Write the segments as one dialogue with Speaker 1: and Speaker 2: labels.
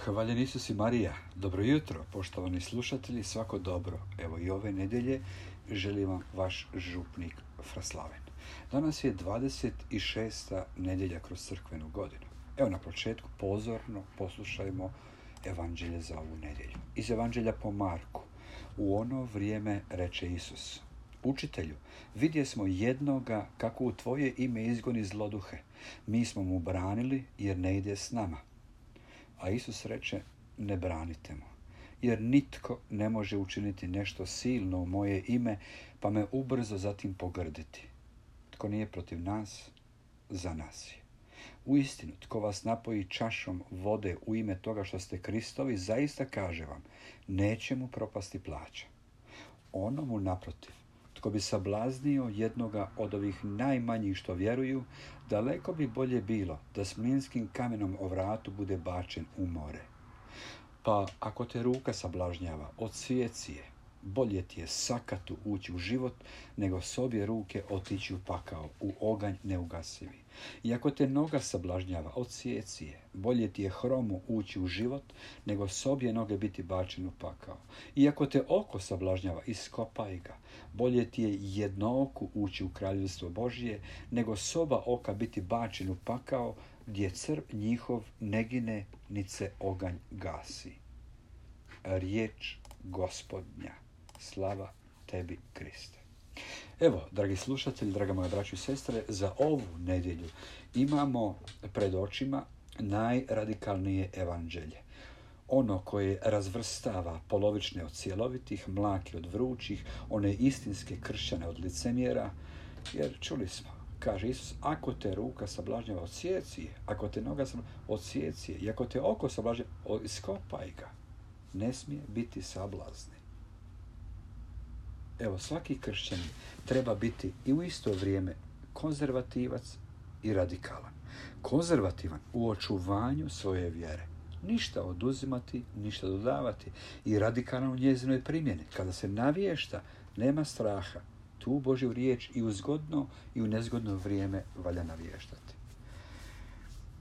Speaker 1: Hvaljen Isus i Marija. Dobro jutro, poštovani slušatelji, svako dobro. Evo i ove nedjelje želim vam vaš župnik Fraslaven. Danas je 26. nedjelja kroz crkvenu godinu. Evo na početku pozorno poslušajmo evanđelje za ovu nedjelju. Iz evanđelja po Marku. U ono vrijeme reče Isus: Učitelju, vidje smo jednoga kako u tvoje ime izgoni zloduhe. Mi smo mu branili jer ne ide s nama. A Isus reče: ne branite mu, jer nitko ne može učiniti nešto silno u moje ime, pa me ubrzo zatim pogrditi. Tko nije protiv nas, za nas je. Uistinu, tko vas napoji čašom vode u ime toga što ste Kristovi, zaista kaže vam, neće mu propasti plaća. Onomu naprotiv, tko bi sablaznio jednoga od ovih najmanjih što vjeruju, daleko bi bolje bilo da s mlinskim kamenom o vratu bude bačen u more. Pa ako te ruka sablažnjava, odsijeci je. Bolje ti je sakatu ući u život, nego s obje ruke otići u pakao, u oganj neugasivi. I ako te noga sablažnjava, odsijeci je. Bolje ti je hromu ući u život, nego s obje noge biti bačen u pakao. I ako te oko sablažnjava, iskopaj ga. Bolje ti je jednooku ući u kraljevstvo Božije, nego s oba oka biti bačen u pakao, gdje crv njihov ne gine, nit se oganj gasi. Riječ Gospodnja. Slava tebi, Kriste. Evo, dragi slušatelji, draga moja braćo i sestre, za ovu nedjelju imamo pred očima najradikalnije evanđelje. Ono koje razvrstava polovične od cjelovitih, mlake od vrućih, one istinske kršćane od licemjera, jer čuli smo, kaže Isus, ako te ruka sablažnjava, odsijeci je, ako te noga sablažnjava, odsijeci je, i ako te oko sablažnjava, iskopaj ga. Ne smije biti sablazni. Evo, svaki kršćanin treba biti i u isto vrijeme konzervativac i radikalan. Konzervativan u očuvanju svoje vjere. Ništa oduzimati, ništa dodavati. I radikalan u njezinoj primjeni. Kada se navješta, nema straha. Tu Božju riječ i u zgodno i u nezgodno vrijeme valja navještati.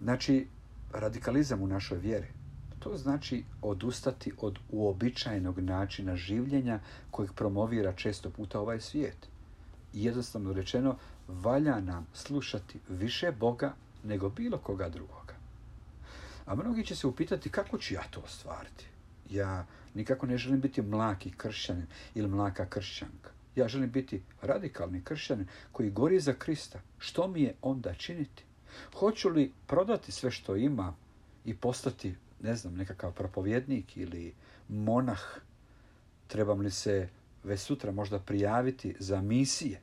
Speaker 1: Znači, radikalizam u našoj vjeri. To znači odustati od uobičajenog načina življenja kojeg promovira često puta ovaj svijet. Jednostavno rečeno, valja nam slušati više Boga nego bilo koga drugoga. A mnogi će se upitati kako ću ja to ostvariti. Ja nikako ne želim biti mlaki kršćanin ili mlaka kršćanka. Ja želim biti radikalni kršćanin koji gori za Krista. Što mi je onda činiti? Hoću li prodati sve što imam i postati, nekakav propovjednik ili monah? Trebam li se već sutra možda prijaviti za misije?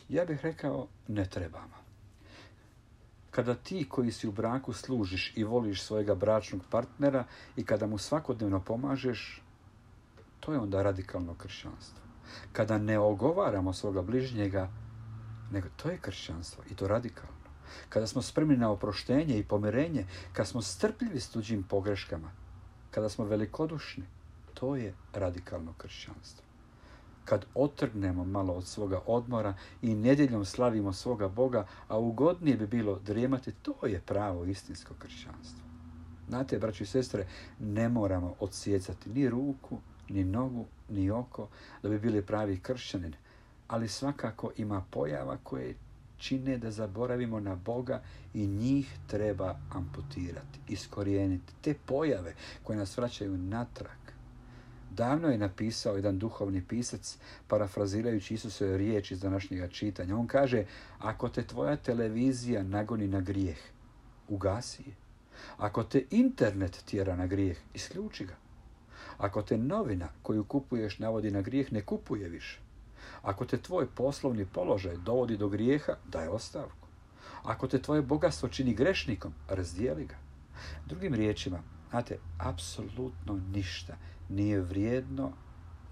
Speaker 1: Ja bih rekao, ne trebamo. Kada ti koji si u braku služiš i voliš svojega bračnog partnera i kada mu svakodnevno pomažeš, to je onda radikalno kršćanstvo. Kada ne ogovaramo svoga bližnjega, nego to je kršćanstvo i to radikalno. Kada smo spremni na oproštenje i pomirenje, kada smo strpljivi s tuđim pogreškama, kada smo velikodušni, to je radikalno kršćanstvo. Kad otrgnemo malo od svoga odmora i nedjeljom slavimo svoga Boga, a ugodnije bi bilo drijemati, to je pravo istinsko kršćanstvo. Znate, braći i sestre, ne moramo odsjecati ni ruku, ni nogu, ni oko da bi bili pravi kršćanin, ali svakako ima pojava koje čine da zaboravimo na Boga i njih treba amputirati, iskorijeniti. Te pojave koje nas vraćaju natrag. Davno je napisao jedan duhovni pisac, parafrazirajući Isusove riječi iz današnjega čitanja. On kaže, ako te tvoja televizija nagoni na grijeh, ugasi je. Ako te internet tjera na grijeh, isključi ga. Ako te novina koju kupuješ navodi na grijeh, ne kupuje više. Ako te tvoj poslovni položaj dovodi do grijeha, daj ostavku. Ako te tvoje bogatstvo čini grešnikom, razdijeli ga. Drugim riječima, znate, apsolutno ništa nije vrijedno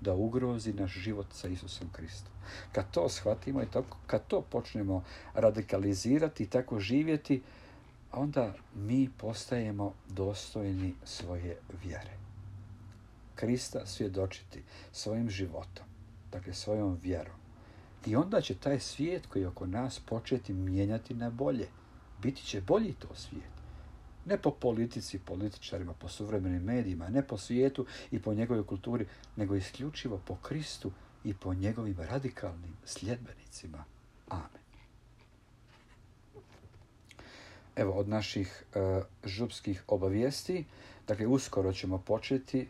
Speaker 1: da ugrozi naš život sa Isusom Kristom. Kad to shvatimo i kad to počnemo radikalizirati i tako živjeti, onda mi postajemo dostojni svoje vjere. Krista svjedočiti svojim životom, dakle svojom vjerom. I onda će taj svijet koji je oko nas početi mijenjati na bolje. Biti će bolji to svijet. Ne po politici, političarima, po suvremenim medijima, ne po svijetu i po njegovoj kulturi, nego isključivo po Kristu i po njegovim radikalnim sljedbenicima. Amen. Evo, od naših župskih obavijesti, dakle, uskoro ćemo početi,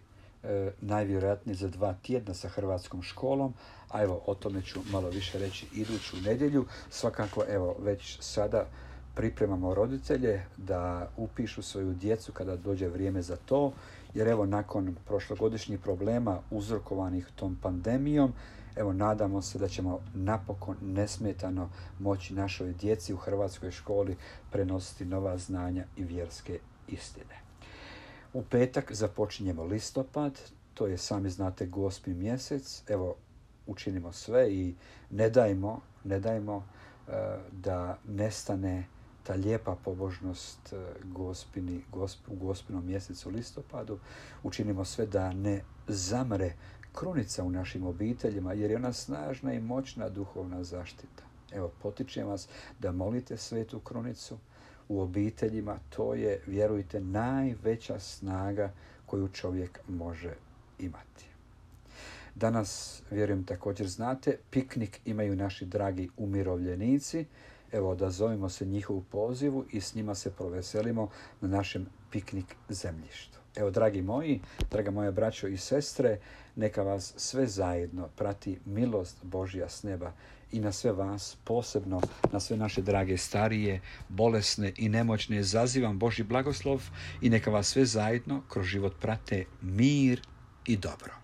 Speaker 1: najvjerojatnije za 2 tjedna sa hrvatskom školom, a evo, o tome ću malo više reći iduću nedjelju. Svakako, evo, već sada pripremamo roditelje da upišu svoju djecu kada dođe vrijeme za to, jer evo, nakon prošlogodišnjih problema uzrokovanih tom pandemijom, evo, nadamo se da ćemo napokon nesmetano moći našoj djeci u hrvatskoj školi prenositi nova znanja i vjerske istine. U petak započinjemo listopad, to je, sami znate, Gospin mjesec. Evo, učinimo sve i ne dajmo da nestane ta lijepa pobožnost u Gospinom mjesecu listopadu. Učinimo sve da ne zamre krunica u našim obiteljima, jer je ona snažna i moćna duhovna zaštita. Evo, potičem vas da molite svetu krunicu u obiteljima. To je, vjerujte, najveća snaga koju čovjek može imati. Danas, vjerujem, također znate, piknik imaju naši dragi umirovljenici. Evo, odazovimo se njihovu pozivu i s njima se proveselimo na našem piknik zemljištu. Evo, dragi moji, draga moja braćo i sestre, neka vas sve zajedno prati milost Božja s neba i na sve vas, posebno na sve naše drage starije, bolesne i nemoćne, zazivam Božji blagoslov i neka vas sve zajedno kroz život prate mir i dobro.